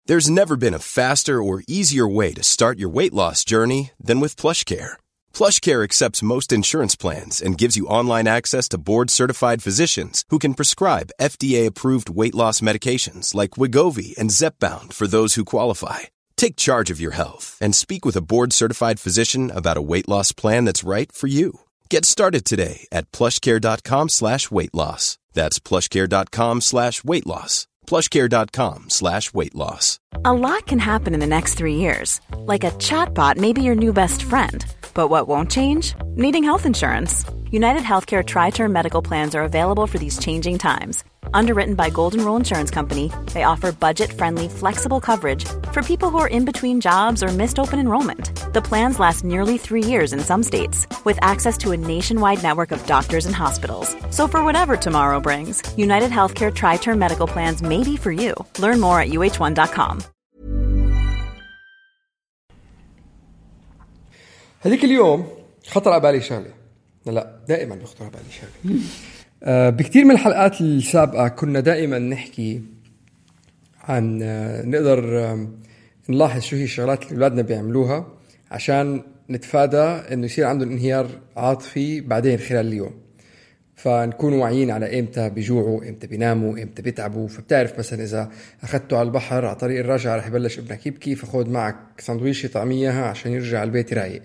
There's never been a faster or easier way to start your weight loss journey than with PlushCare. PlushCare accepts most insurance plans and gives you online access to board-certified physicians who can prescribe FDA-approved weight loss medications like Wegovy and Zepbound for those who qualify. Take charge of your health and speak with a board-certified physician about a weight loss plan that's right for you. Get started today at plushcare.com/weightloss. That's plushcare.com/weightloss. plushcare.com/weightloss. A lot can happen in the next 3 years. Like a chatbot may be your new best friend. But what won't change? Needing health insurance. United Healthcare Tri-Term Medical Plans are available for these changing times. Underwritten by Golden Rule Insurance Company, they offer budget-friendly, flexible coverage for people who are in between jobs or missed open enrollment. The plans last nearly 3 years in some states, with access to a nationwide network of doctors and hospitals. So for whatever tomorrow brings, United Healthcare Tri-Term Medical Plans may be for you. Learn more at uh1.com. هذيك اليوم خطر على بالي شغله. لا دائما بخطر على بالي شغله. بكتير من الحلقات السابقة كنا دائما نحكي عن نقدر نلاحظ شو هي الشغلات اللي أولادنا بيعملوها عشان نتفادى إنه يصير عندهم انهيار عاطفي بعدين خلال اليوم. فنكون واعيين على إمتى بيجوعوا، إمتى بيناموا، إمتى بيتعبوا. فبتعرف مثلا إذا أخذته على البحر على طريق الرجعة رح يبلش ابنك يبكي، فخذ معك سندويشة طعمية عشان يرجع على البيت رايق.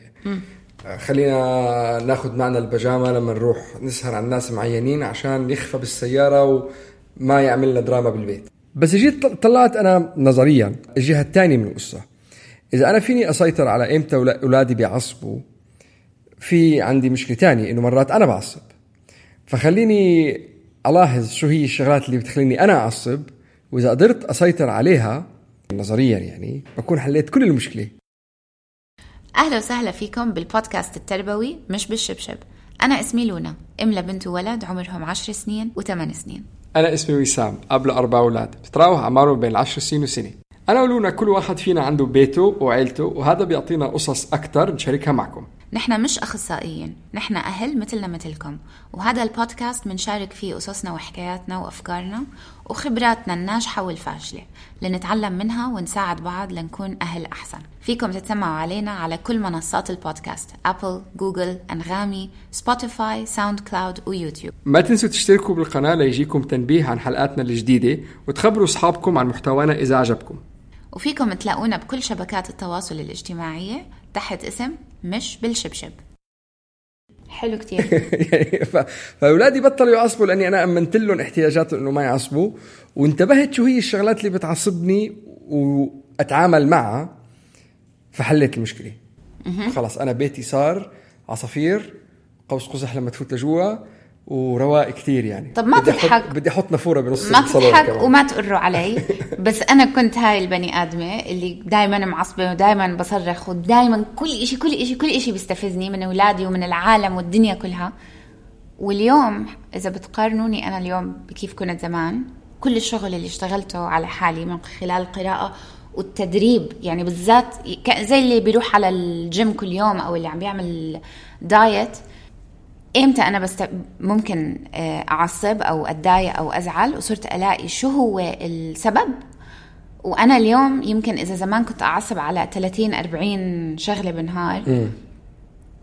خلينا ناخد معنا البيجامة لما نروح نسهر عن ناس معينين عشان يخفى بالسيارة وما يعملنا دراما بالبيت. بس جيت طلعت أنا نظريا الجهة الثانية من القصة. إذا أنا فيني أسيطر على إمتى أولادي بيعصبوا، في عندي مشكلة تانية إنه مرات أنا بعصب. فخليني ألاحظ شو هي الشغلات اللي بتخليني أنا أعصب، وإذا قدرت أسيطر عليها نظريا يعني بكون حليت كل المشكلة. أهلا وسهلا فيكم بالبودكاست التربوي مش بالشبشب. أنا اسمي لونا، أم لبنت وولد عمرهم 10 سنين و8 سنين. أنا اسمي وسام، أب ل4 أولاد بتتراوح أعمارهم بين 10 سنين وسنة. أنا ولونا كل واحد فينا عنده بيته وعيلته، وهذا بيعطينا قصص أكتر نشاركها معكم. نحن مش أخصائيين، نحن أهل مثلنا مثلكم، وهذا البودكاست منشارك فيه قصصنا وحكاياتنا وأفكارنا وخبراتنا الناجحة والفاشلة لنتعلم منها ونساعد بعض لنكون أهل أحسن. فيكم تتسمعوا علينا على كل منصات البودكاست: أبل، جوجل، أنغامي، سبوتيفاي، ساوند كلاود ويوتيوب. ما تنسوا تشتركوا بالقناة ليجيكم تنبيه عن حلقاتنا الجديدة، وتخبروا أصحابكم عن محتوانا إذا عجبكم. وفيكم تلاقونا بكل شبكات التواصل الاجتماعية تحت اسم مش بالشبشب. حلو كتير. فأولادي بطلوا يعصبوا لأني أنا أمنت لهم احتياجاتهم إنه ما يعصبوا، وانتبهت شو هي الشغلات اللي بتعصبني وأتعامل معها، فحلت المشكلة. خلاص أنا بيتي صار عصافير قوس قزح لما تفوت لجوا ورواق كتير يعني. طب ما تضحك، بدي أحط نافورة بنص ما تضحك وما تقروا علي. بس أنا كنت هاي البني آدمة اللي دايما معصبة ودايما بصرخ ودايما كل إشي بيستفزني من أولادي ومن العالم والدنيا كلها. واليوم إذا بتقارنوني أنا اليوم بكيف كنت زمان، كل الشغل اللي اشتغلته على حالي من خلال القراءة والتدريب، يعني بالذات زي اللي بيروح على الجيم كل يوم أو اللي عم بيعمل دايت، إمتى أنا ممكن أعصب أو أتضايق أو أزعل، وصرت ألاقي شو هو السبب. وأنا اليوم يمكن إذا زمان كنت أعصب على 30-40 شغلة بالنهار،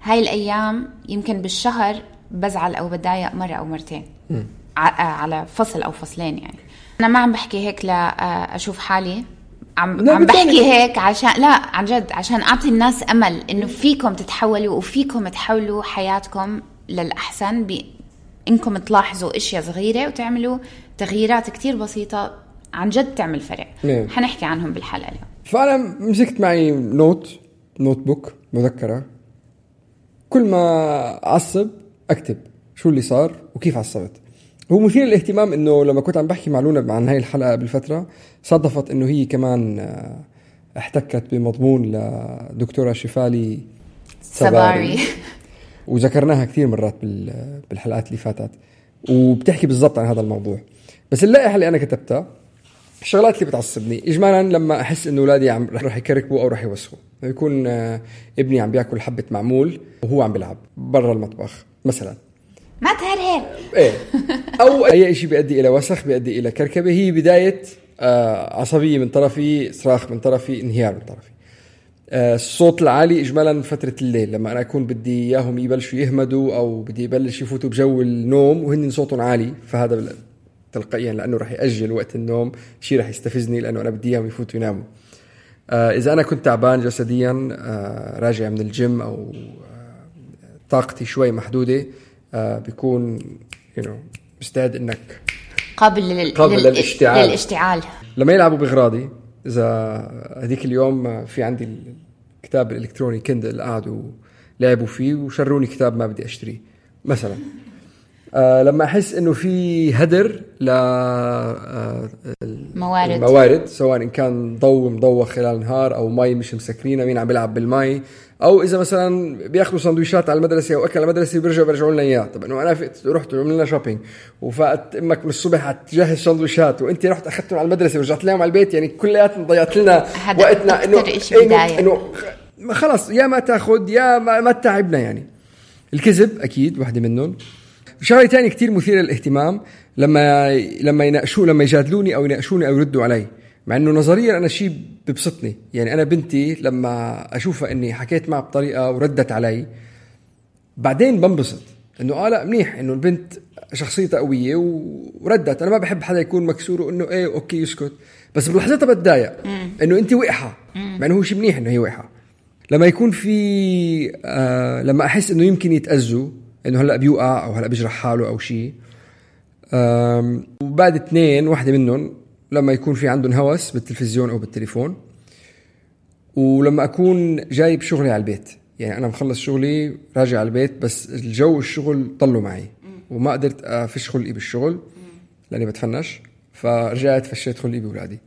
هاي الأيام يمكن بالشهر بزعل أو بتضايق مرة أو مرتين على فصل أو فصلين. يعني أنا ما عم بحكي هيك لا أشوف حالي، عم بحكي هيك عشان لا عن جد عشان أعطي الناس أمل إنه فيكم تتحولوا وفيكم تحولوا حياتكم للأحسن إنكم تلاحظوا أشياء صغيرة وتعملوا تغييرات كتير بسيطة عن جد تعمل فرق. حنحكي عنهم بالحلقة اليوم. فأنا مسكت معي نوت بوك مذكرة، كل ما أعصب أكتب شو اللي صار وكيف عصبت. هو مثير الاهتمام إنه لما كنت عم بحكي مع لونا عن هاي الحلقة بالفترة، صادفت إنه هي كمان احتكت بمضمون لدكتورة شفالي سباري وذكرناها كثير مرات بالحلقات اللي فاتت، وبتحكي بالضبط عن هذا الموضوع. بس اللائحة اللي أنا كتبتها الشغلات اللي بتعصبني إجمالا لما أحس إنه أولادي رح يكركبوا أو رح يوسخوا. يكون ابني عم بياكل حبة معمول وهو عم بيلعب برا المطبخ مثلا، ما تهرهر إيه، أو أي شيء بيؤدي إلى وسخ بيؤدي إلى كركبة، هي بداية عصبية من طرفي، صراخ من طرفي، انهيار من طرفي. الصوت العالي إجمالا فترة الليل لما أنا أكون بدي إياهم يبلشوا يهمدوا أو بدي يبلش يفوتوا بجو النوم وهن صوتهم عالي، فهذا تلقائيا لأنه رح يأجل وقت النوم، شيء رح يستفزني لأنه أنا بدي إياهم يفوتوا يناموا. إذا أنا كنت تعبان جسديا راجع من الجيم أو طاقتي شوي محدودة، بيكون مستعد إنك قابل للاشتعال. لما يلعبوا بغراضي، إذا هذيك اليوم في عندي الكتاب الإلكتروني كندل قعدوا لعبوا فيه وشروني كتاب ما بدي أشتريه مثلا، لما أحس إنه في هدر الموارد سواء إن كان ضوء مضوخ خلال النهار أو مي مش مسكرينة، مين عم بيلعب بالمي، أو إذا مثلا بياخدوا سندويشات على المدرسة أو أكل على المدرسة بيرجعوا لنا إياه. طب إنه أنا رحت عملنا شوبينج وفات أمك من الصبح هتجهز سندويشات وأنت رحت أخذتهم على المدرسة ورجعت لهم على البيت، يعني كلياتنا ضيعت لنا وقتنا. إنه خلاص يا ما تاخد يا ما تعبنا. يعني الكذب أكيد واحدة منهم. شغلة تاني كتير مثيرة للاهتمام لما يجادلوني أو يناقشوني أو يردوا علي، مع إنه نظريا أنا شيء ببسطني. يعني أنا بنتي لما أشوفها إني حكيت معها بطريقة وردت علي بعدين بنبسط إنه لا منيح إنه البنت شخصيتها قوية وردت. أنا ما بحب حدا يكون مكسور وإنه إيه أوكي يسكت، بس بلحظتها بتضايق إنه أنت وقحة، مع إنه هو شيء منيح إنه هي وقحة. لما يكون في لما أحس إنه يمكن يتأذوا، إنه هلأ بيوقع أو هلأ بيجرح حاله أو شيء. وبعد 2 واحدة منهم لما يكون في عندهم هوس بالتلفزيون أو بالتليفون، ولما أكون جايب شغلي على البيت. يعني أنا مخلص شغلي راجع على البيت بس الجو الشغل طلوا معي وما قدرت أفش خلقي بالشغل لأني بتفنش، فرجعت فشيت خلقي بولادي.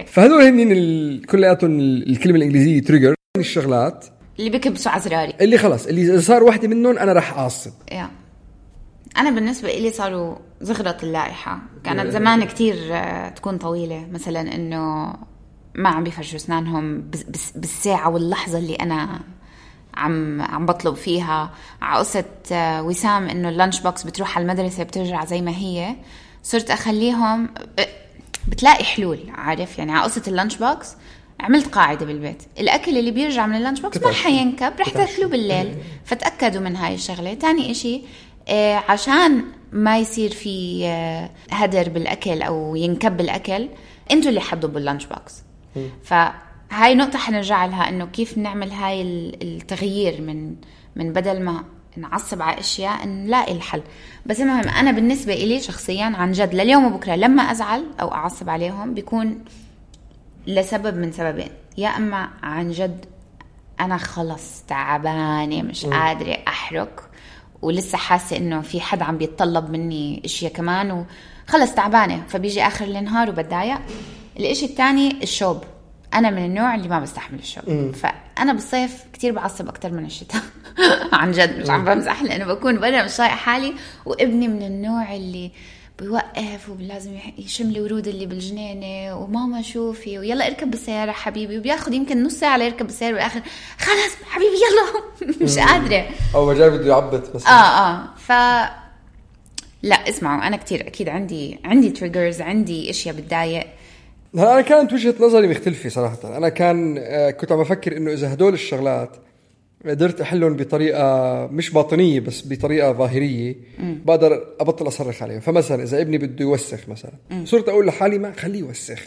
فهذول هنين كلياتهم الكلمة الإنجليزية تريجر، الشغلات اللي بكبسوا عزراري، اللي خلاص اللي صار واحدة منهم أنا رح أعصب. أنا بالنسبة إلي صاروا زغرة اللائحة. كانت زمان كتير تكون طويلة، مثلا إنه ما عم بيفرشوا أسنانهم بالساعة واللحظة اللي أنا عم بطلب فيها. عقصة وسام إنه اللانش بوكس بتروح على المدرسة بترجع زي ما هي. صرت أخليهم بتلاقي حلول، عارف يعني. عقصة اللانش بوكس عملت قاعدة بالبيت، الأكل اللي بيرجع من اللانش بوكس ما حينكب، رح تاكلوا بالليل. فتأكدوا من هاي الشغلة. تاني إشي عشان ما يصير في هدر بالأكل أو ينكب الأكل، انتوا اللي حدوا باللانش بوكس. فهاي نقطة حنرجع لها، إنه كيف نعمل هاي التغيير من بدل ما نعصب على أشياء نلاقي الحل. بس المهم أنا بالنسبة إلي شخصيا عن جد لليوم وبكرة لما أزعل أو أعصب عليهم بيكون لسبب من سببين. يا أما عن جد أنا خلص تعبانة مش قادرة أحرك ولسه حاسة إنه في حد عم بيتطلب مني إشياء كمان وخلص تعبانة، فبيجي آخر النهار وبتضايق. الإشي الثاني الشوب. أنا من النوع اللي ما بستحمل الشوب، فأنا بالصيف كتير بعصب أكتر من الشتاء. عن جد مش عم بمزح، لأنه بكون برا مش طايقة حالي. وابني من النوع اللي بيوقف ولازم يشم لي ورود اللي بالجنينة وماما شوفي ويلا اركب بالسيارة حبيبي، وبياخد يمكن نص ساعة ليركب بالسيارة والآخر خلاص حبيبي يلا مش قادرة أو جاي بده يعبط مثلا. لا اسمعوا، أنا كتير أكيد عندي تريجرز، عندي إشياء بتضايق. أنا كانت وجهة نظري مختلفة صراحة. أنا كنت عم بفكر إنه إذا هدول الشغلات قدرت أحلهم بطريقة مش باطنية بس بطريقة ظاهرية بقدر أبطل أصرخ عليهم. فمثلا إذا ابني بده يوسخ مثلا صرت أقول لحالي ما خليه يوسخ،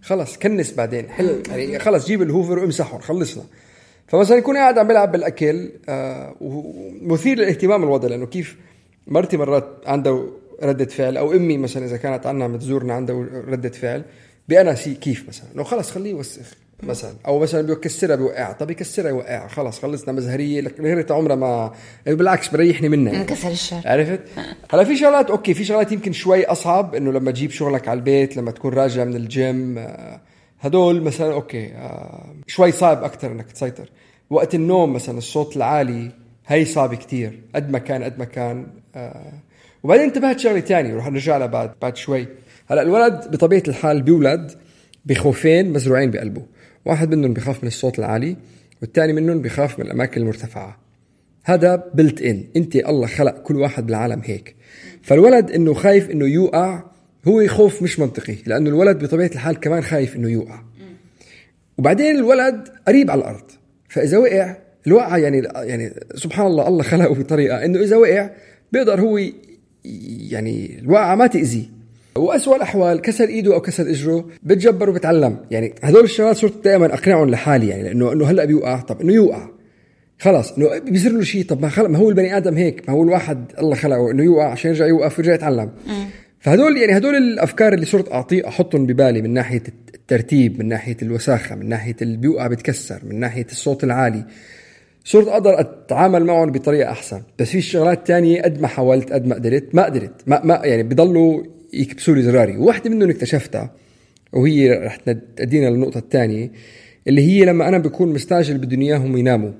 خلاص كنس بعدين حل يعني، خلاص جيب الهوفر وامسحهم خلصنا. فمثلا يكون قاعد عم بلعب بالأكل ومثير للاهتمام الوضع، لأنه كيف مرتي مرات عنده ردة فعل، أو أمي مثلا إذا كانت عنا متزورنا عنده ردة فعل بأنا كيف مثلا إنه خلاص خليه يوسخ مثلا، او مثلا بيكسرها بيوقعها. طب يكسرها يوقعها خلاص خلصنا مزهريه لك غيرت عمرها ما بالعكس بريحني منها يعني. انكسر الشر. عرفت هلا في شغلات اوكي، في شغلات يمكن شوي اصعب، انه لما تجيب شغلك على البيت لما تكون راجع من الجيم هدول مثلا اوكي شوي صعب اكتر انك تسيطر. وقت النوم مثلا الصوت العالي هي صعب كتير قد ما كان. وبعدين انتبهت شغله تانية ورح نرجع لها بعد شوي. هلا الولد بطبيعه الحال بيولد بخوفين مزروعين بقلبه، واحد منهم بيخاف من الصوت العالي والتاني منهم بيخاف من الأماكن المرتفعة. هذا بلت إن، أنت الله خلق كل واحد بالعالم هيك. فالولد إنه خايف إنه يوقع هو خوف مش منطقي، لأنه الولد بطبيعة الحال كمان خايف إنه يوقع. وبعدين الولد قريب على الأرض، فإذا وقع الوقعة يعني سبحان الله، الله خلقه بطريقة إنه إذا وقع بيقدر هو يعني الوقعة ما تأذي. وأسوأ الأحوال كسر إيده أو كسر إجره بتجبر وبتعلم. يعني هدول الشغلات صرت دائما أقنعهم لحالي، يعني لأنه هلأ بيوقع، طب إنه يوقع خلاص، إنه بيصير له شيء، طب ما هو البني آدم هيك، ما هو الواحد الله خلقه إنه يوقع عشان يرجع يوقف ويرجع يتعلم. فهدول الأفكار اللي صرت أحطهم ببالي من ناحية الترتيب، من ناحية الوساخة، من ناحية اللي بيوقع بتكسر، من ناحية الصوت العالي، صرت أقدر أتعامل معهم بطريقة أحسن. بس في شغلات تانية قد ما حاولت قد ما قدرت ما يعني بيضلوا يكبسوا لي زراري. وواحدة منهم اكتشفتها، وهي رح تدينا للنقطة الثانية، اللي هي لما أنا بكون مستعجل بدي إياهم يناموا.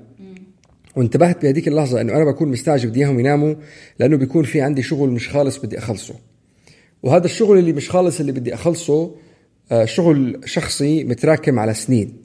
وانتبهت بهذيك اللحظة إنه أنا بكون مستعجل بدي إياهم يناموا لأنه بيكون في عندي شغل مش خالص بدي أخلصه. وهذا الشغل اللي مش خالص اللي بدي أخلصه شغل شخصي متراكم على سنين،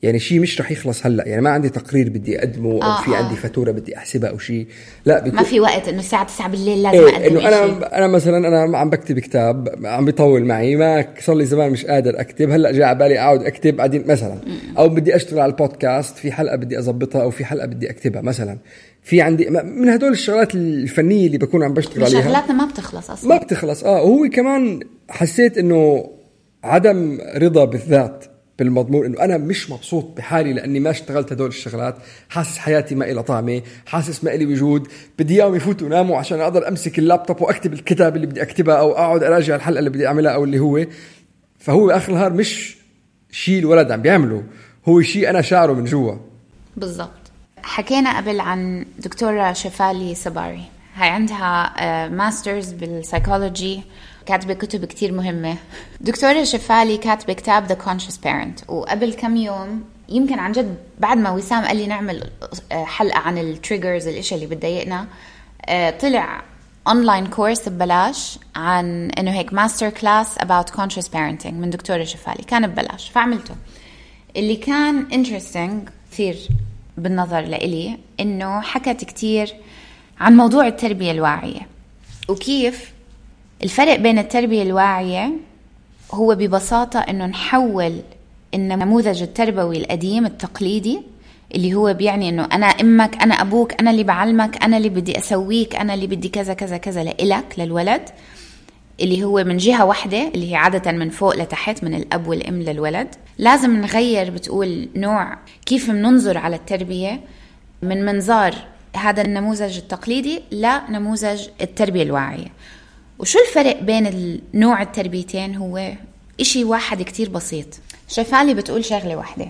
يعني شيء مش رح يخلص هلأ. يعني ما عندي تقرير بدي أقدمه أو في عندي فاتورة بدي أحسبها أو شيء، لا ما في وقت إنه الساعة 9 بالليل لازم أقدم إنه أنا مثلا أنا عم بكتب كتاب عم بيطول معي، ما صار لي زمان مش قادر أكتب، هلأ جاء على بالي أقعد أكتب بعدين مثلا، أو بدي أشتغل على البودكاست، في حلقة بدي أضبطها أو في حلقة بدي أكتبها مثلا، في عندي من هدول الشغلات الفنية اللي بكون عم بشتغل عليها. شغلاتنا ما بتخلص أصلا، ما بتخلص. وهو كمان حسيت إنه عدم رضا بالذات بالمضمون، إنه أنا مش مبسوط بحالي لأني ما اشتغلت هدول الشغلات، حاسس حياتي ما إلها طعمة، حاسس ما إلي وجود، بدي إياهم يفوتوا ناموا عشان أقدر أمسك اللابتوب وأكتب الكتاب اللي بدي أكتبها أو أقعد أراجع الحلقة اللي بدي أعملها أو اللي هو. فهو آخر النهار مش شيء الولد عم بيعمله، هو شيء أنا شعره من جوا. بالضبط. حكينا قبل عن دكتورة شفالي صباري، هاي عندها ماسترز بالسايكولوجي، كاتبة كتب كتير مهمة. دكتورة شفالي كاتبة كتاب The Conscious Parent، وقبل كم يوم يمكن عن جد بعد ما وسام قال لي نعمل حلقة عن التريجرز، الاشياء اللي بتضايقنا، طلع أونلاين كورس ببلاش عن إنه هيك ماستر كلاس about conscious parenting من دكتورة شفالي، كان ببلاش فعملته. اللي كان interesting كثير بالنظر لإلي إنه حكت كتير عن موضوع التربية الواعية، وكيف الفرق بين التربية الواعية هو ببساطة إنه نحول النموذج التربوي القديم التقليدي اللي هو بيعني إنه أنا أمك، أنا أبوك، أنا اللي بعلمك، أنا اللي بدي أسويك، أنا اللي بدي كذا كذا كذا لإلك للولد، اللي هو من جهة واحدة اللي هي عادة من فوق لتحت من الأب والأم للولد. لازم نغير بتقول نوع كيف مننظر على التربية من منظار هذا النموذج التقليدي لنموذج التربية الواعية. وشو الفرق بين النوع التربيتين؟ هو إشي واحد كتير بسيط. شفالي بتقول شغلة واحدة،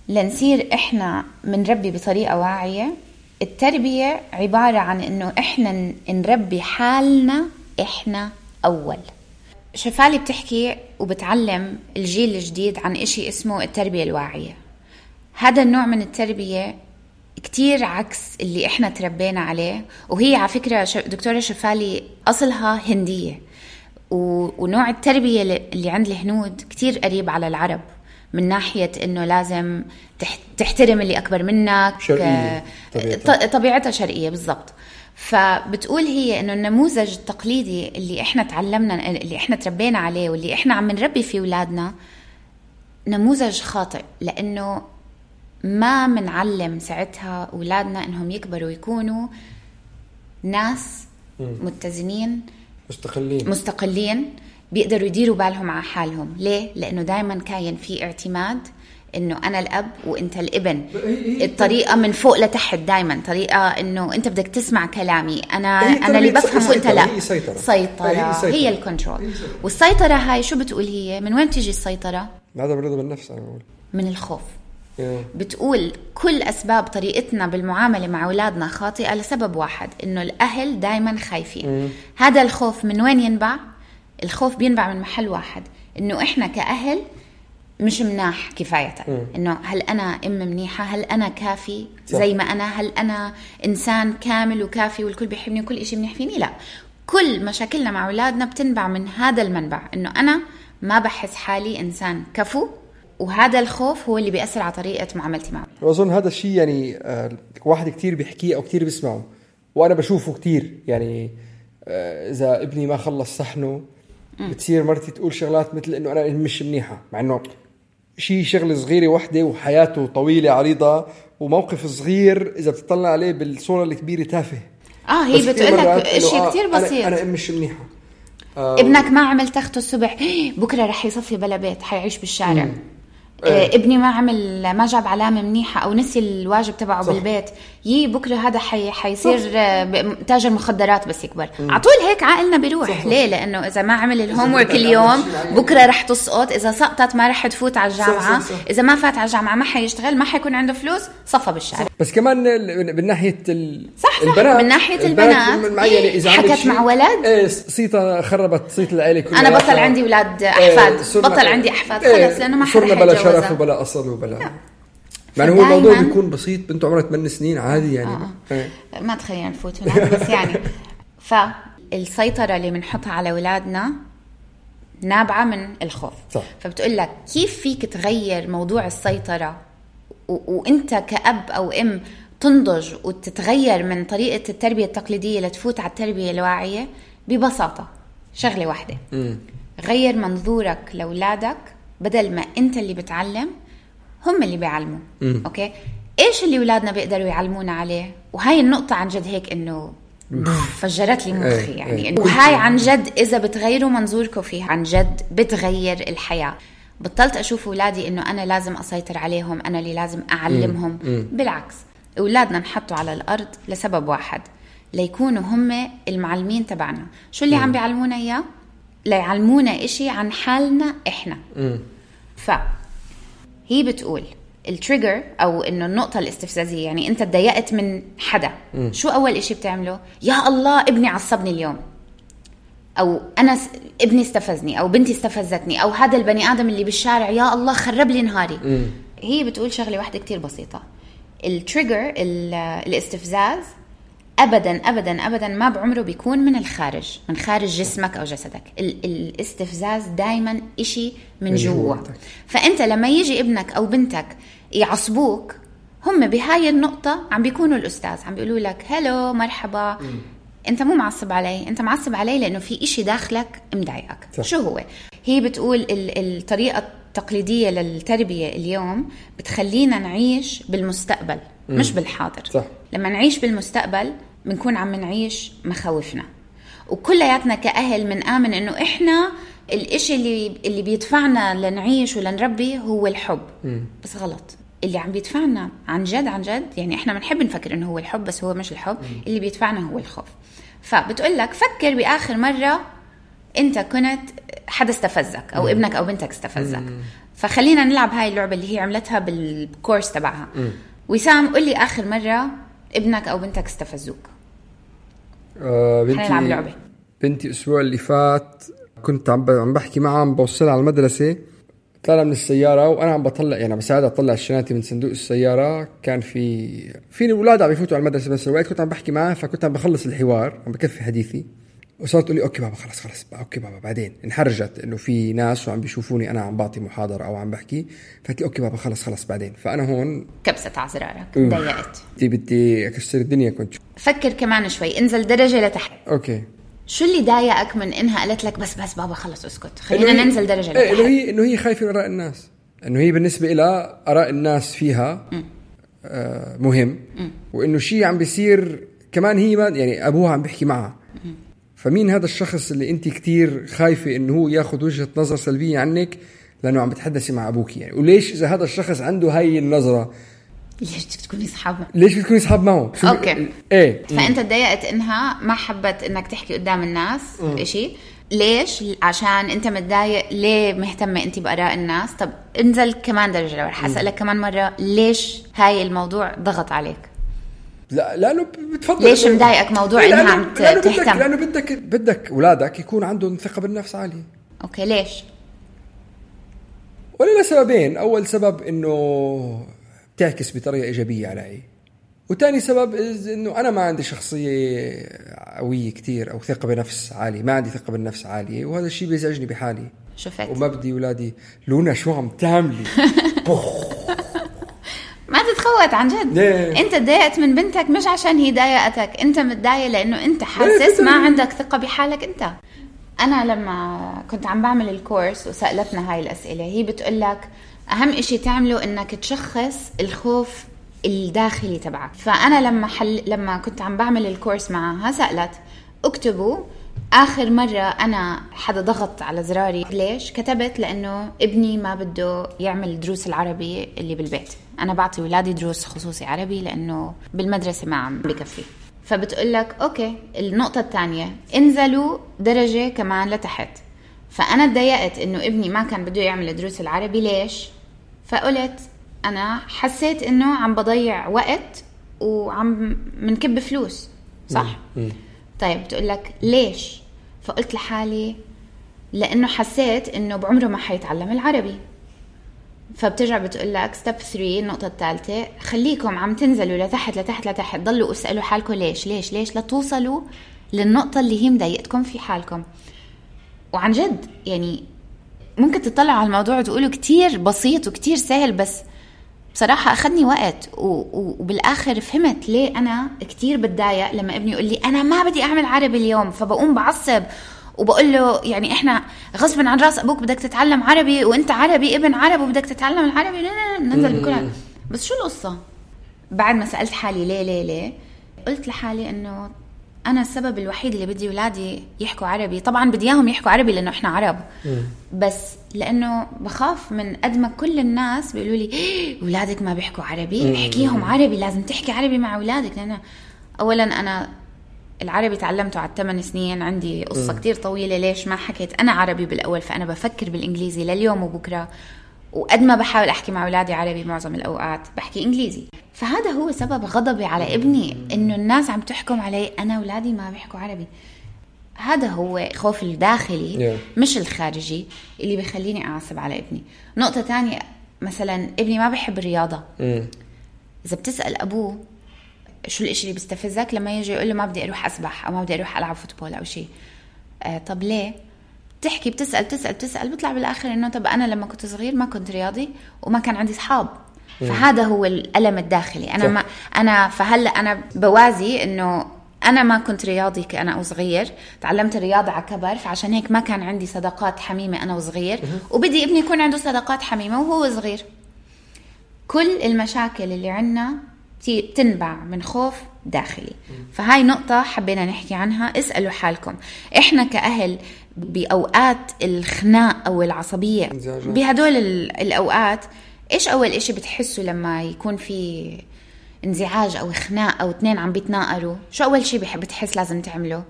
لنصير إحنا منربي بطريقة واعية. التربية عبارة عن إنه إحنا نربي حالنا إحنا أول. شفالي بتحكي وبتعلم الجيل الجديد عن إشي اسمه التربية الواعية. هذا النوع من التربية كتير عكس اللي إحنا تربينا عليه، وهي على فكرة دكتورة شفالي أصلها هندية، ونوع التربية اللي عند الهنود كتير قريب على العرب من ناحية إنه لازم تحترم اللي أكبر منك، شرقية. طبيعتها شرقية بالضبط. فبتقول هي إنه النموذج التقليدي اللي إحنا تعلمنا، اللي إحنا تربينا عليه واللي إحنا عم نربي فيه أولادنا، نموذج خاطئ، لأنه ما منعلم ساعتها أولادنا إنهم يكبروا يكونوا ناس متزنين مستقلين بيقدروا يديروا بالهم على حالهم. ليه؟ لأنه دايما كاين في اعتماد إنه أنا الأب وإنت الابن، الطريقة من فوق لتحت، دايما طريقة إنه أنت بدك تسمع كلامي، أنا اللي بفهم وإنت لا. سيطرة هي الكنترول. والسيطرة هاي شو بتقول هي؟ من وين تيجي السيطرة؟ هذا برضه بالنفس، أنا بقول من الخوف. بتقول كل أسباب طريقتنا بالمعاملة مع أولادنا خاطئة لسبب واحد، إنه الأهل دايما خايفين. هذا الخوف من وين ينبع؟ الخوف بينبع من محل واحد، إنه إحنا كأهل مش مناح كفاية، إنه هل أنا أم منيحة، هل أنا كافي زي ما أنا، هل أنا إنسان كامل وكافي والكل بيحبني وكل إشي منيح فيني. لا، كل مشاكلنا مع أولادنا بتنبع من هذا المنبع، إنه أنا ما بحس حالي إنسان كفو، وهذا الخوف هو اللي بيأثر على طريقة معاملتي معه. وأظن هذا الشيء يعني واحد كتير بيحكيه أو كتير بيسمعه، وأنا بشوفه كتير. يعني إذا ابني ما خلص صحنه بتصير مرتي تقول شغلات مثل انه انا مش منيحة، مع انه شغل صغيرة وحدة وحياته طويلة عريضة وموقف صغير اذا بتطلع عليه بالصورة الكبيرة تافه. هي بتقولك اشي كتير بسيط. انا مش منيحة. ابنك ما عمل تخته الصبح، بكرة رح يصفي بلا بيت، حيعيش بالشارع. ابني ما جاب علامة منيحة أو نسي الواجب تبعه بالبيت، بكرة هذا حيصير تاجر مخدرات بس يكبر. عطول هيك عقلنا بيروح. ليه؟ لأنه إذا ما عمل الهومورك اليوم بكرة رح تسقط، إذا سقطت ما رح تفوت على الجامعة، إذا ما فات على الجامعة ما حيشتغل، ما حيكون عنده فلوس، صفى بالشارع. بس كمان بالناحية البنات، من ناحية البنات حكت مع ولد صيتة خربت صيت العائلة كلها. أنا بطل عندي أولاد أحفاد، بطل عندي أحفاد خلص، لأنه ما حدا شرف وبلا أصل وبلا يعني هو الموضوع بيكون بسيط. بنته عمرها 8 سنين عادي يعني. ما تخيل نفوت هناك بس يعني فالسيطرة اللي بنحطها على أولادنا نابعة من الخوف. فبتقول لك كيف فيك تغير موضوع السيطرة وانت كأب أو أم تنضج وتتغير من طريقة التربية التقليدية لتفوت على التربية الواعية؟ ببساطة شغلة واحدة، غير منظورك لأولادك. بدل ما انت اللي بتعلم هم اللي بيعلموا. اوكي، ايش اللي اولادنا بيقدروا يعلمونا عليه؟ وهاي النقطة عن جد هيك انه فجرت لي مخي يعني. وهاي عن جد اذا بتغيروا منظوركم فيها عن جد بتغير الحياة. بطلت اشوف اولادي انه انا لازم اسيطر عليهم، انا اللي لازم اعلمهم. بالعكس، اولادنا نحطوا على الارض لسبب واحد، ليكونوا هم المعلمين تبعنا. شو اللي عم بيعلمونا اياه؟ ليعلمونا إشي عن حالنا إحنا. فهي بتقول التريجر أو إنه النقطة الاستفزازية، يعني أنت تضايقت من حدا، شو أول إشي بتعمله؟ يا الله ابني عصبني اليوم، أو أنا ابني استفزني، أو بنتي استفزتني، أو هذا البني آدم اللي بالشارع يا الله خرب لي نهاري. هي بتقول شغلة واحدة كتير بسيطة، التريجر الاستفزاز أبداً أبداً أبداً ما بعمره بيكون من الخارج، من خارج جسمك أو جسدك. الاستفزاز دايماً إشي من جوا. فأنت لما يجي ابنك أو بنتك يعصبوك، هم بهاي النقطة عم بيكونوا الأستاذ، عم بيقولوا لك هلو مرحبا، أنت مو معصب علي، أنت معصب علي لأنه في إشي داخلك مضايقك. شو هو؟ هي بتقول الطريقة التقليدية للتربية اليوم بتخلينا نعيش بالمستقبل مش بالحاضر. لما نعيش بالمستقبل بنكون عم نعيش مخاوفنا، وكلياتنا كأهل من آمن إنه إحنا الإشي اللي بيدفعنا لنعيش ولنربي هو الحب. بس غلط، اللي عم بيدفعنا عن جد يعني إحنا بنحب نفكر إنه هو الحب، بس هو مش الحب. اللي بيدفعنا هو الخوف. فبتقول لك فكر بآخر مرة أنت كنت حدا استفزك أو ابنك أو بنتك استفزك. فخلينا نلعب هاي اللعبة اللي هي عملتها بالكورس تبعها. وسام قل لي آخر مرة ابنك أو بنتك استفزوك. نلعب لعبة. بنتي الأسبوع اللي فات كنت عم بحكي معها، عم بوصلها على المدرسة، طلع من السيارة وأنا عم بطلع يعني بساعدها أطلع الشنطة من صندوق السيارة. كان في الأولاد عم يفوتوا على المدرسة، بس الوقت كنت عم بحكي معها، فكنت عم بخلص الحوار، عم بكفي حديثي، وصارت تقول لي أوكي بابا خلص أوكي بابا. بعدين انحرجت إنه في ناس وعم بيشوفوني أنا عم بعطي محاضرة أو عم بحكي، فقلت لي أوكي بابا خلص بعدين. فأنا هون كبست عزرارك، ضايقت، بدي أكسر الدنيا. كنت فكر كمان شوي، انزل درجة لتحت. أوكي، شو اللي ضايقك من إنها قالت لك بس بابا خلص اسكت، خلينا ننزل درجة لتحت؟ إنه هي خايفة من آراء الناس، إنه هي بالنسبة إلى آراء الناس فيها مهم، وإنه شيء عم بيصير كمان هي ما يعني أبوها عم بيحكي معها. فمين هذا الشخص اللي انت كتير خايفة انه هو ياخد وجهة نظر سلبية عنك لانه عم بتحدثي مع ابوك يعني؟ وليش اذا هذا الشخص عنده هاي النظرة ليش بدك تكوني صحاب؟ ليش بدك تكوني صحاب معه؟ اوكي ايه. فانت تضايقت انها ما حبت انك تحكي قدام الناس اشي. ليش؟ عشان انت متضايق. ليه مهتمة انت بآراء الناس؟ طب انزل كمان درجة لو رح اسألك كمان مرة، ليش هاي الموضوع ضغط عليك؟ لا لانه بتفضل ليش مضايقك موضوع انها عم تهتم؟ لانه بدك اولادك يكون عندهم ثقة بالنفس عالية. اوكي، ليش؟ ولا سببين. اول سبب انه بتعكس بطريقة ايجابية علي، وتاني سبب انه انا ما عندي شخصية قوية كتير او ثقة بنفس عالية، ما عندي ثقة بالنفس عالية، وهذا الشيء بيزعجني بحالي. شفت؟ وما بدي اولادي لونا شو عم تعملي. ما تتخوت عن جد. انت تضايقت من بنتك مش عشان هي ضايقتك، انت متضايق لانه انت حاسس ما عندك ثقة بحالك. انت أنا لما كنت عم بعمل الكورس وسألتنا هاي الأسئلة، هي بتقولك أهم إشي تعمله إنك تشخص الخوف الداخلي تبعك. فأنا لما كنت عم بعمل الكورس معها سألت اكتبوا آخر مرة أنا حدا ضغط على زراري ليش. كتبت لأنه ابني ما بده يعمل دروس العربي اللي بالبيت. أنا بعطي ولادي دروس خصوصي عربي لأنه بالمدرسة ما عم بكفي. فبتقولك أوكي، النقطة الثانية انزلوا درجة كمان لتحت. فأنا اتضايقت إنه ابني ما كان بده يعمل دروس العربي ليش. فقلت أنا حسيت إنه عم بضيع وقت وعم منكب فلوس، صح؟ طيب بتقولك ليش؟ فقلت لحالي لأنه حسيت إنه بعمره ما حيتعلم العربي. فبترجع بتقولك ستيب 3 النقطة الثالثة، خليكم عم تنزلوا لتحت لتحت لتحت، ضلوا اسألوا حالكم ليش ليش ليش لتوصلوا للنقطة اللي هي مضايقتكم في حالكم. وعن جد يعني ممكن تطلعوا على الموضوع وتقولوا كتير بسيط وكتير سهل، بس بصراحة أخذني وقت وبالآخر فهمت ليه أنا كتير بتضايق لما ابني يقول لي أنا ما بدي أعمل عربي اليوم. فبقوم بعصب وبقول له يعني إحنا غصبا عن راس أبوك بدك تتعلم عربي، وإنت عربي ابن عرب وبدك تتعلم العربي. ننزل بكل بس شو القصة؟ بعد ما سألت حالي ليه قلت لحالي إنه أنا السبب الوحيد اللي بدي ولادي يحكوا عربي. طبعا بدي إياهم يحكوا عربي لأنه إحنا عرب، بس لأنه بخاف من قد ما كل الناس بيقولوا لي ولادك ما بيحكوا عربي، احكيهم عربي، لازم تحكي عربي مع ولادك. لأن أولا أنا العربي تعلمته على 8 سنين، عندي قصة كتير طويلة ليش ما حكيت أنا عربي بالأول. فأنا بفكر بالإنجليزي لليوم وبكرة، وقد ما بحاول أحكي مع ولادي عربي معظم الأوقات بحكي إنجليزي. فهذا هو سبب غضبي على ابني، إنه الناس عم تحكم علي أنا ولادي ما بيحكوا عربي. هذا هو خوف الداخلي مش الخارجي اللي بيخليني أعصب على ابني. نقطة تانية، مثلا ابني ما بيحب الرياضة. إذا بتسأل أبوه شو الإشي اللي بيستفزك لما يجي يقول له ما بدي أروح أسبح أو ما بدي أروح ألعب فوتبول أو شيء، طب ليه؟ تحكي بتسأل بيطلع بالآخر إنه طب أنا لما كنت صغير ما كنت رياضي وما كان عندي صحاب. فهذا هو الألم الداخلي. فهلأ أنا بوازي إنه أنا ما كنت رياضي كأنا وصغير، تعلمت الرياضة على كبر، فعشان هيك ما كان عندي صداقات حميمة أنا وصغير، وبدي ابني يكون عنده صداقات حميمة وهو صغير. كل المشاكل اللي عنا تنبع من خوف داخلي. فهاي نقطة حبينا نحكي عنها. اسألوا حالكم إحنا كأهل بأوقات الخناق أو العصبية بهدول الأوقات إيش أول إشي بتحسوا لما يكون في انزعاج أو خناق أو اثنين عم بيتناقروا؟ شو أول شي بتحس لازم تعمله؟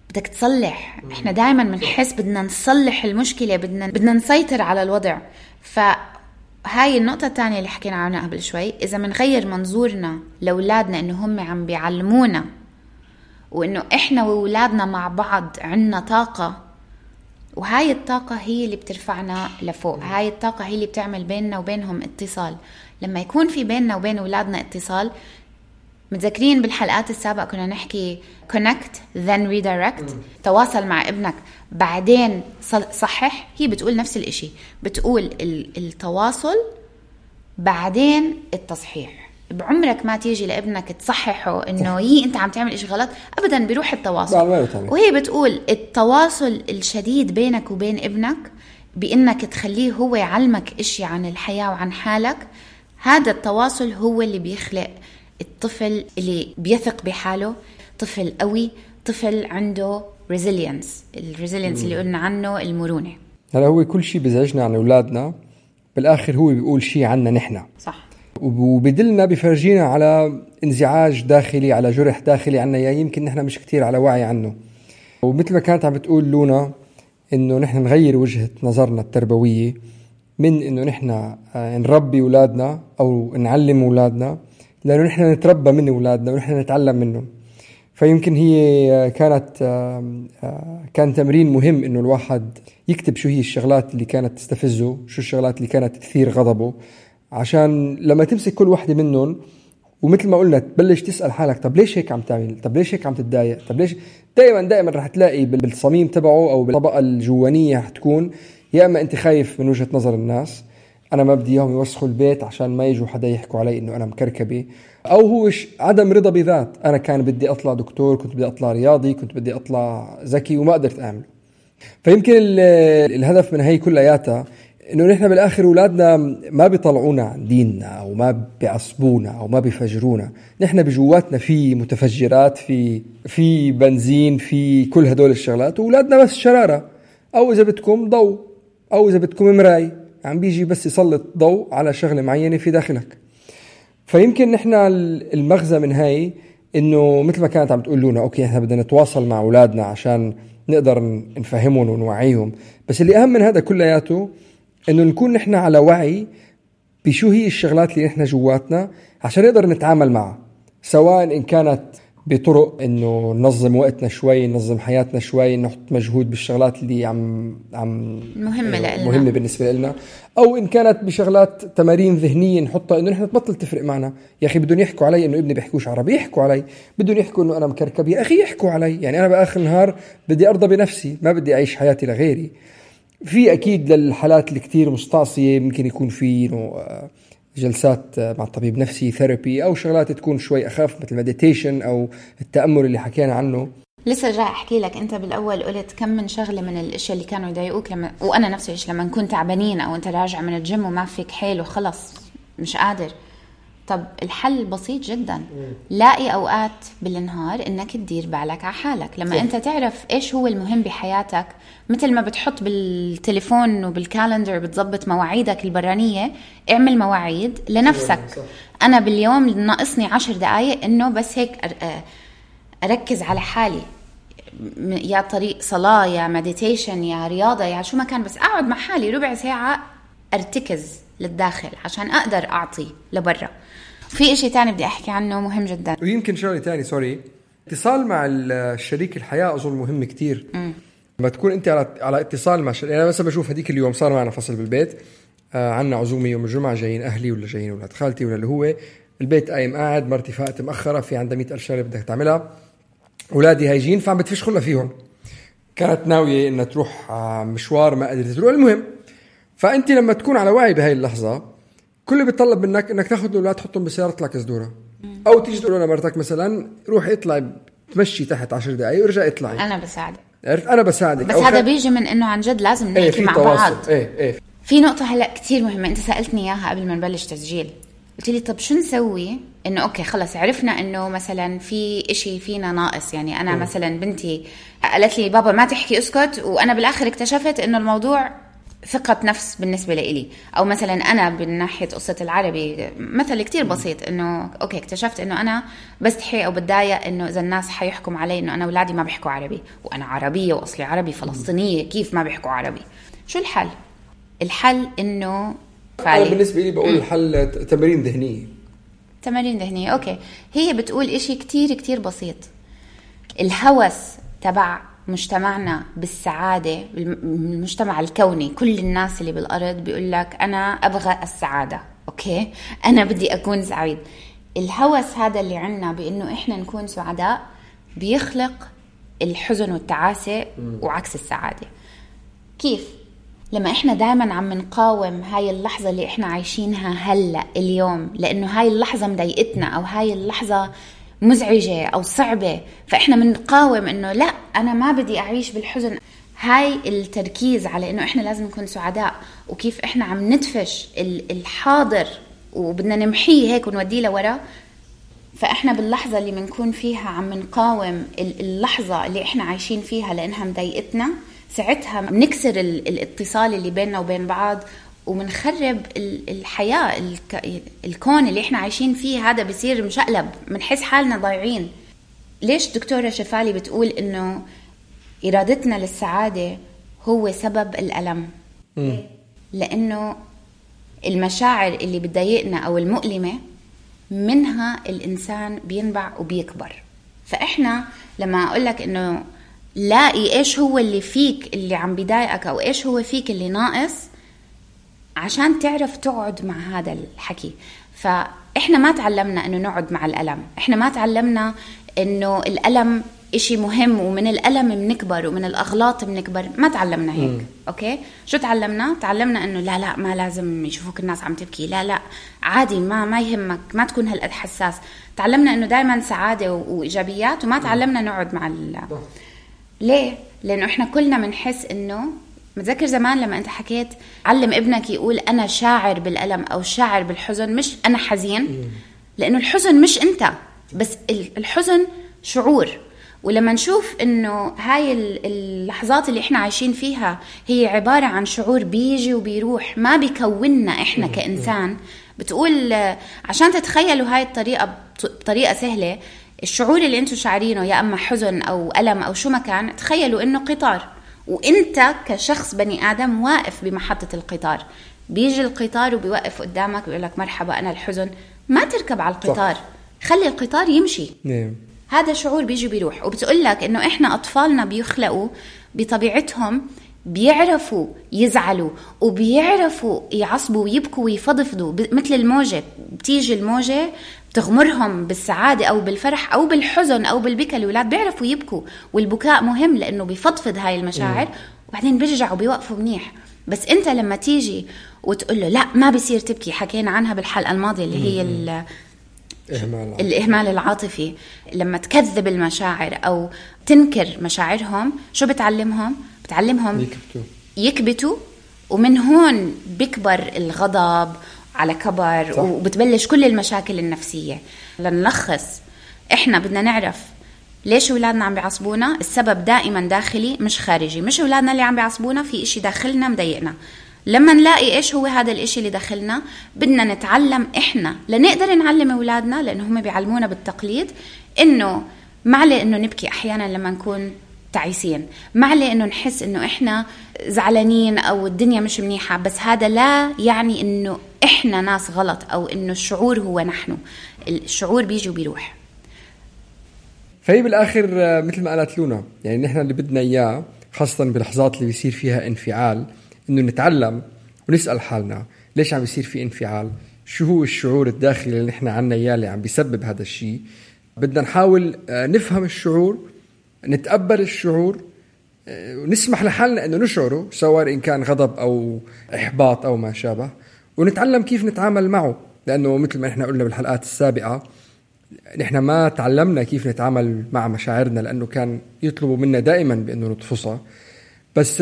بدك تصلح. إحنا دايما بنحس بدنا نصلح المشكلة، بدنا نسيطر على الوضع. فهاي النقطة الثانية اللي حكينا عنها قبل شوي. إذا منغير منظورنا لأولادنا إنه هم عم بيعلمونا وإنه إحنا وأولادنا مع بعض عنا طاقة، وهاي الطاقة هي اللي بترفعنا لفوق، هاي الطاقة هي اللي بتعمل بيننا وبينهم اتصال. لما يكون في بيننا وبين أولادنا اتصال، متذكرين بالحلقات السابقة كنا نحكي connect then redirect، تواصل مع ابنك بعدين صحح. هي بتقول نفس الاشي، بتقول التواصل بعدين التصحيح. بعمرك ما تيجي لابنك تصححه انه انت عم تعمل اشي غلط، ابدا بيروح التواصل. وهي بتقول التواصل الشديد بينك وبين ابنك بانك تخليه هو يعلمك اشي عن الحياة وعن حالك. هذا التواصل هو اللي بيخلق الطفل اللي بيثق بحاله، طفل قوي، طفل عنده resilience اللي قلنا عنه المرونة. هلا هو كل شيء بيزعجنا عن أولادنا بالآخر هو بيقول شيء عنا نحنا، صح، وبدلنا بفرجينا على انزعاج داخلي، على جرح داخلي عنا يمكن نحنا مش كتير على وعي عنه. ومثل ما كانت عم بتقول لونا إنه نحن نغير وجهة نظرنا التربوية من إنه نحن نربي أولادنا أو نعلم أولادنا، لأنه نحن نتربى من أولادنا ونحن نتعلم منهم. فيمكن هي كان تمرين مهم إنه الواحد يكتب شو هي الشغلات اللي كانت تستفزه، شو الشغلات اللي كانت تثير غضبه، عشان لما تمسك كل واحدة منهم ومثل ما قلنا تبلش تسأل حالك طب ليش هيك عم تعمل، طب ليش هيك عم تتضايق، طب ليش. دائما رح تلاقي بالصميم تبعه أو بالطبقة الجوانية حتكون يا أما أنت خايف من وجهة نظر الناس، أنا ما بدي إياهم يوسخوا البيت عشان ما يجوا حدا يحكوا علي إنه أنا مكركبة، أو هو عدم رضا بذات. أنا كان بدي أطلع دكتور، كنت بدي أطلع رياضي، كنت بدي أطلع ذكي وما قدرت أعمله. فيمكن الهدف من هي كلياتها إنه نحن بالآخر أولادنا ما بيطلعونا عن ديننا أو ما بيعصبونا أو ما بيفجرونا. نحن بجواتنا في متفجرات، في بنزين، في كل هدول الشغلات، وأولادنا بس شرارة، أو إذا بدكم ضوء، أو إذا بدكم مراي عم بيجي بس يسلط ضوء على شغلة معينة في داخلك. فيمكن نحن المغزى من هاي إنه مثل ما كانت عم تقول لنا أوكي إحنا بدنا نتواصل مع أولادنا عشان نقدر نفهمهم ونوعيهم، بس اللي أهم من هذا كلياته إنه نكون نحن على وعي بشو هي الشغلات اللي نحن جواتنا عشان نقدر نتعامل معها، سواء إن كانت بطرق إنه ننظم وقتنا شوي، ننظم حياتنا شوي، نحط مجهود بالشغلات اللي مهمة بالنسبة لنا، أو إن كانت بشغلات تمارين ذهنية نحطها إنه نحن تبطل تفرق معنا. يا أخي بدون يحكوا علي إنه ابني بيحكوش عربي، يحكوا علي. بدون يحكوا إنه أنا مكركب، يا أخي يحكوا علي. يعني أنا بآخر النهار بدي أرضى بنفسي، ما بدي أعيش حياتي لغيري. في أكيد للحالات اللي كتير مستعصية ممكن يكون في جلسات مع الطبيب نفسي، ثيرابي، أو شغلات تكون شوي أخف مثل مديتيشن أو التأمل اللي حكينا عنه. لسه جاي أحكي لك، أنت بالأول قلت كم من شغلة من الأشياء اللي كانوا يضايقوك وأنا نفسي لما كنت تعبانين أو أنت راجع من الجيم وما فيك حيل وخلص مش قادر. طب الحل بسيط جدا، لاقي أوقات بالنهار إنك تدير بالك على حالك. لما أنت تعرف إيش هو المهم بحياتك، مثل ما بتحط بالتليفون وبالكالندر بتضبط مواعيدك البرانية، اعمل مواعيد لنفسك. أنا باليوم ناقصني 10 دقايق إنه بس هيك أركز على حالي، يا طريق صلاة، يا مديتيشن، يا رياضة، يا شو ما كان، بس أقعد مع حالي ربع ساعة أرتكز للداخل عشان أقدر أعطي لبرا. في إشي تاني بدي أحكي عنه مهم جدا، ويمكن شغلة تاني اتصال مع الشريك الحياة أظن مهم كتير. لما تكون أنت على اتصال مع أنا مثلا بشوف هديك اليوم صار معنا فصل بالبيت، عنا عزومة يوم الجمعة، جايين أهلي ولا جايين ولاد خالتي ولا اللي هو البيت قايم قاعد، مرتي فاقت مأخرة، في عندها 100,000 شغلة بدك تعملها، أولادي هايجين، فعم بتفش خلنا فيهم. كانت ناوية إنها تروح مشوار ما قدرت تروح. المهم فأنت لما تكون على وعي بهاي اللحظة، كل اللي بيطلب منك إنك تاخذ الأولاد تحطهم بسيارة تطلع كزدورة، أو تيجي تقول لمرتك مثلا روحي اطلعي تمشي تحت 10 دقايق ورجع اطلعي، أنا بساعدك. بس هذا بيجي من إنه عن جد لازم نحكي مع بعض. في نقطة هلأ كتير مهمة أنت سألتني إياها قبل ما نبلش تسجيل. قلت لي طب شو نسوي إنه أوكي خلص عرفنا إنه مثلا في إشي فينا ناقص. يعني أنا مثلا بنتي قالت لي بابا ما تحكي اسكت، وأنا بالآخر اكتشفت إنه الموضوع ثقة نفس بالنسبة لإلي. أو مثلا أنا بالناحية قصة العربي مثل كتير بسيط، إنه أوكي اكتشفت إنه أنا بستحي أو بتضايق إنه إذا الناس حيحكم علي إنه أنا أولادي ما بيحكوا عربي، وأنا عربية وأصلي عربي فلسطينية، كيف ما بيحكوا عربي؟ شو الحل؟ الحل إنه أنا بالنسبة لي بقول الحل تمارين ذهنية. أوكي، هي بتقول إشي كتير كتير بسيط. الهوس تبع مجتمعنا بالسعادة، المجتمع الكوني، كل الناس اللي بالأرض بيقول لك أنا أبغى السعادة، أوكي أنا بدي أكون سعيد. الهوس هذا اللي عنا بأنه إحنا نكون سعداء بيخلق الحزن والتعاسة وعكس السعادة. كيف؟ لما إحنا دائما عم نقاوم هاي اللحظة اللي إحنا عايشينها هلأ اليوم، لأنه هاي اللحظة مضايقتنا أو هاي اللحظة مزعجة أو صعبة، فإحنا منقاوم إنه لا أنا ما بدي أعيش بالحزن. هاي التركيز على إنه إحنا لازم نكون سعداء، وكيف إحنا عم ندفش الحاضر وبدنا نمحيه هيك ونوديه لورا. فإحنا باللحظة اللي منكون فيها عم نقاوم اللحظة اللي إحنا عايشين فيها لأنها مضايقتنا، ساعتها بنكسر الاتصال اللي بيننا وبين بعض، ومنخرب الحياة، الكون اللي احنا عايشين فيه هذا بيصير مشقلب، منحس حالنا ضايعين. ليش دكتورة شفالي بتقول انه ارادتنا للسعادة هو سبب الألم؟ لانه المشاعر اللي بتضايقنا او المؤلمة منها الانسان بينبع وبيكبر. فاحنا لما اقولك انه لاقي ايش هو اللي فيك اللي عم بيضايقك او ايش هو فيك اللي ناقص، عشان تعرف تقعد مع هذا الحكي. فإحنا ما تعلمنا إنه نقعد مع الألم، إحنا ما تعلمنا إنه الألم إشي مهم ومن الألم بنكبر ومن الأغلاط بنكبر، ما تعلمنا هيك. أوكي، شو تعلمنا؟ تعلمنا إنه لا ما لازم يشوفوك الناس عم تبكي، لا عادي، ما يهمك، ما تكون هالقد حساس. تعلمنا إنه دايما سعادة وإيجابيات، وما تعلمنا نقعد مع ليه؟ لأنه إحنا كلنا منحس إنه متذكر زمان لما أنت حكيت علم ابنك يقول أنا شاعر بالألم أو شاعر بالحزن، مش أنا حزين، لأنه الحزن مش أنت بس، الحزن شعور. ولما نشوف إنه هاي اللحظات اللي إحنا عايشين فيها هي عبارة عن شعور بيجي وبيروح، ما بيكوننا إحنا كإنسان. بتقول عشان تتخيلوا هاي الطريقة بطريقة سهلة، الشعور اللي أنتوا شعرينه يا أما حزن أو ألم أو شو ما كان، تخيلوا إنه قطار، وإنت كشخص بني آدم واقف بمحطة القطار. بيجي القطار وبيوقف قدامك بيقول لك مرحبا أنا الحزن، ما تركب على القطار، خلي القطار يمشي. هذا شعور بيجي بيروح. وبتقول لك إنه إحنا أطفالنا بيخلقوا بطبيعتهم بيعرفوا يزعلوا وبيعرفوا يعصبوا ويبكوا ويفضفضوا، مثل الموجة. بتيجي الموجة بتغمرهم بالسعادة أو بالفرح أو بالحزن أو بالبكاء. الأولاد بيعرفوا يبكوا، والبكاء مهم لأنه بيفضفض هاي المشاعر، وبعدين بيرجعوا بيوقفوا منيح. بس أنت لما تيجي وتقول له لا ما بيصير تبكي، حكينا عنها بالحلقة الماضية اللي هي الإهمال العاطفي، لما تكذب المشاعر أو تنكر مشاعرهم، شو بتعلمهم؟ بتعلمهم يكبتوا، ومن هون بيكبر الغضب على كبر. صح. وبتبلش كل المشاكل النفسية. لنلخص، إحنا بدنا نعرف ليش أولادنا عم بيعصبونا. السبب دائما داخلي مش خارجي. مش أولادنا اللي عم بيعصبونا، في إشي داخلنا مضايقنا. لما نلاقي إيش هو هذا الإشي اللي داخلنا، بدنا نتعلم إحنا لنقدر نعلم أولادنا، لأنه هم بيعلمونا بالتقليد إنه معلي إنه نبكي أحيانا لما نكون تعيسين، معلي إنه نحس إنه إحنا زعلانين أو الدنيا مش منيحة، بس هذا لا يعني إنه إحنا ناس غلط أو إنه الشعور هو نحن. الشعور بيجي وبيروح. فهي بالآخر مثل ما قالت لونا، يعني نحن اللي بدنا إياه خاصة بلحظات اللي بيصير فيها انفعال، إنه نتعلم ونسأل حالنا ليش عم بيصير في انفعال، شو هو الشعور الداخلي اللي نحن عنا إياه اللي عم بيسبب هذا الشيء. بدنا نحاول نفهم الشعور، نتقبل الشعور، ونسمح لحالنا إنه نشعره، سواء إن كان غضب أو إحباط أو ما شابه، ونتعلم كيف نتعامل معه. لأنه مثل ما إحنا قلنا بالحلقات السابقة، نحن ما تعلمنا كيف نتعامل مع مشاعرنا، لأنه كان يطلبوا منا دائما بأنه نطفصها. بس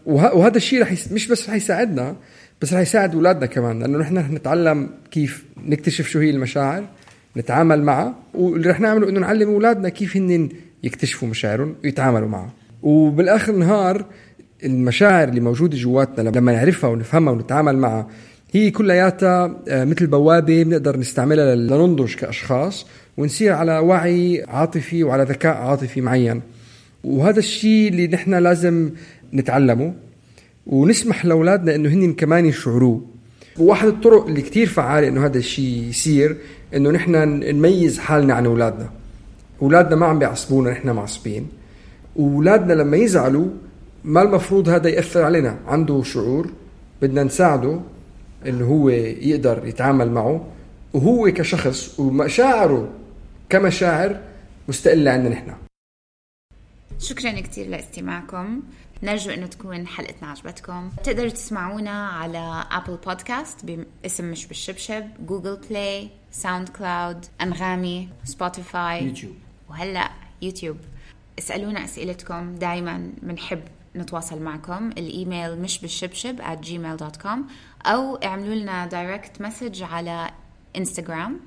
وهذا الشيء مش بس رح يساعدنا، بس رح يساعد أولادنا كمان، لأنه نحن نتعلم كيف نكتشف شو هي المشاعر، نتعامل معها. واللي رح نعمله إنه نعلم أولادنا كيف هن يكتشفوا مشاعرهم ويتعاملوا معها. وبالآخر النهار المشاعر اللي موجودة جواتنا لما نعرفها ونفهمها ونتعامل معها، هي كلياتها مثل بوابة بنقدر نستعملها لننضج كأشخاص، ونصير على وعي عاطفي وعلى ذكاء عاطفي معين. وهذا الشيء اللي نحن لازم نتعلمه، ونسمح لأولادنا إنه هن كمان يشعروه. وواحد الطرق اللي كتير فعالة إنه هذا الشيء يصير، إنه نحن نميز حالنا عن أولادنا. أولادنا ما عم بيعصبونا، نحن معصبين. أولادنا لما يزعلوا ما المفروض هذا يأثر علينا، عنده شعور بدنا نساعده إنه هو يقدر يتعامل معه، وهو كشخص ومشاعره كمشاعر مستقلة عنا نحن. شكرا كتير لاستماعكم. نرجو أنه تكون حلقتنا عجبتكم. تقدروا تسمعونا على أبل بودكاست باسم مش بالشبشب، جوجل بلاي، ساوند كلاود، أنغامي، سبوتيفاي، يوتيوب، وهلأ يوتيوب. اسألونا أسئلتكم، دايما بنحب نتواصل معكم. الإيميل مش بالشبشب @gmail.com، أو اعملوا لنا دايركت مسج على إنستغرام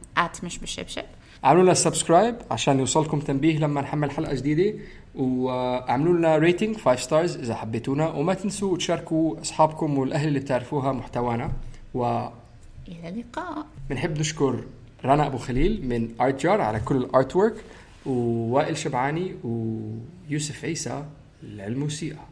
@مش بالشبشب. اعملوا لنا سبسكرايب عشان يوصلكم تنبيه لما نحمل حلقة جديدة، واعملوا لنا ريتنج 5 ستارز إذا حبيتونا، وما تنسوا تشاركوا أصحابكم والأهل اللي بتعرفوها محتوانا. إلى اللقاء. بنحب نشكر رنا أبو خليل من آرت جار على كل الآرت وورك، ووائل شبعاني ويوسف عيسى للموسيقى.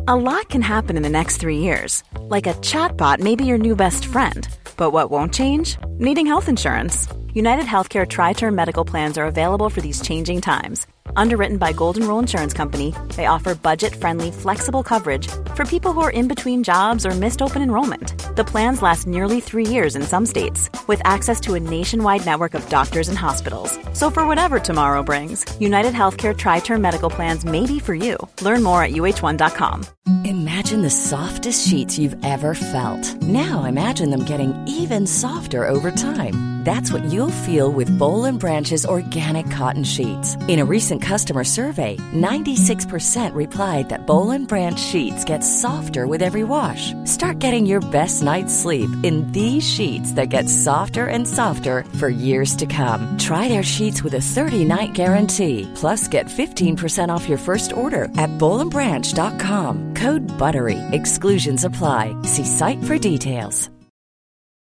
A lot can happen in the next 3 years. Like a chatbot may be your new best friend. But what won't change? Needing health insurance. United Healthcare Tri-Term Medical Plans are available for these changing times. Underwritten by Golden Rule Insurance Company, they offer budget-friendly, flexible coverage for people who are in between jobs or missed open enrollment. The plans last nearly 3 years in some states, with access to a nationwide network of doctors and hospitals. So for whatever tomorrow brings, United Healthcare Tri-Term Medical Plans may be for you. Learn more at uh1.com. Imagine the softest sheets you've ever felt. Now imagine them getting even softer over time. That's what you'll feel with Boll & Branch's organic cotton sheets. In a recent customer survey, 96% replied that Boll & Branch sheets get softer with every wash. Start getting your best night's sleep in these sheets that get softer and softer for years to come. Try their sheets with a 30-night guarantee. Plus, get 15% off your first order at bollandbranch.com. Code BUTTERY. Exclusions apply. See site for details.